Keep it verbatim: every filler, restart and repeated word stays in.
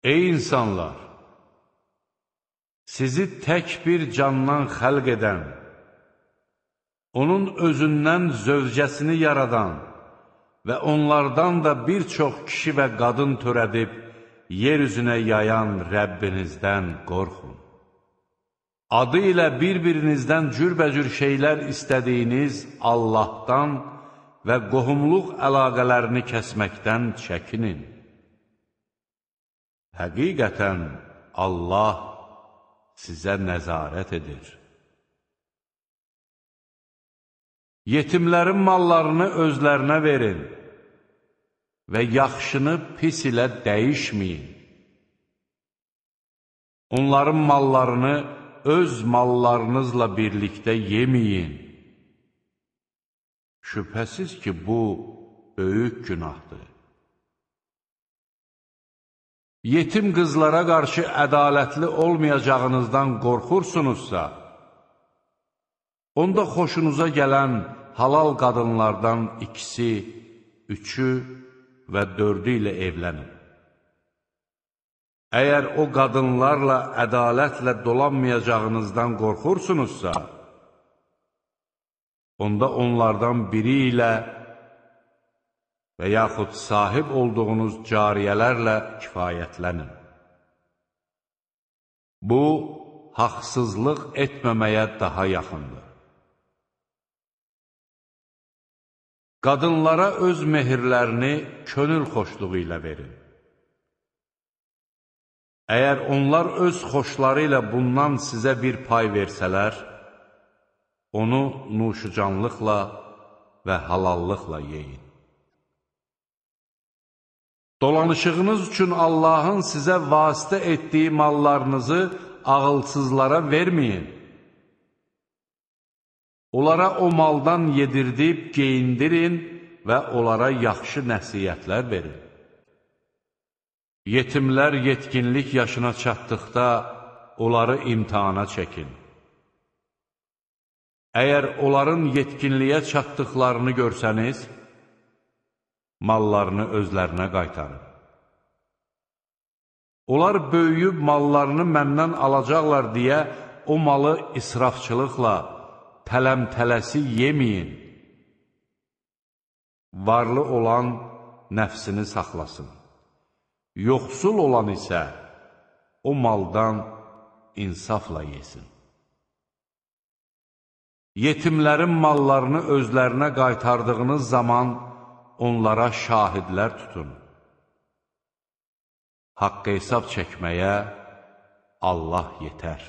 Ey insanlar! Sizi tək bir candan xəlq edən, onun özündən zövcəsini yaradan və onlardan da bir çox kişi və qadın törədib, yer üzünə yayan Rəbbinizdən qorxun. Adı ilə bir-birinizdən cürbəcür şeylər istədiyiniz Allahdan və qohumluq əlaqələrini kəsməkdən çəkinin. Həqiqətən Allah sizə nəzarət edir. Yetimlərin mallarını özlərinə verin və yaxşını pis ilə dəyişməyin. Onların mallarını öz mallarınızla birlikdə yeməyin. Şübhəsiz ki, bu böyük günahdır. Yetim qızlara qarşı ədalətli olmayacağınızdan qorxursunuzsa, onda xoşunuza gələn halal qadınlardan ikisi, üçü və dördü ilə evlənin. Əgər o qadınlarla ədalətlə dolanmayacağınızdan qorxursunuzsa, onda onlardan biri ilə və yaxud sahib olduğunuz cariyələrlə kifayətlənin. Bu, haqsızlıq etməməyə daha yaxındır. Qadınlara öz mehirlərini könül xoşluğu ilə verin. Əgər onlar öz xoşları ilə bundan sizə bir pay versələr, onu nuşucanlıqla və halallıqla yeyin. Dolanışığınız üçün Allahın sizə vasitə etdiyi mallarınızı ağılsızlara verməyin. Onlara o maldan yedirdib, geyindirin və onlara yaxşı nəsiyyətlər verin. Yetimlər yetkinlik yaşına çatdıqda onları imtihana çəkin. Əgər onların yetkinliyə çatdıqlarını görsəniz, mallarını özlərinə qaytarın. Onlar böyüyüb mallarını məndən alacaqlar deyə o malı israfçılıqla, tələm-tələsi yeməyin. Varlı olan nəfsini saxlasın. Yoxsul olan isə o maldan insafla yesin. Yetimlərin mallarını özlərinə qaytardığınız zaman onlara şahidlər tutun. Haqq hesab çəkməyə Allah yetər.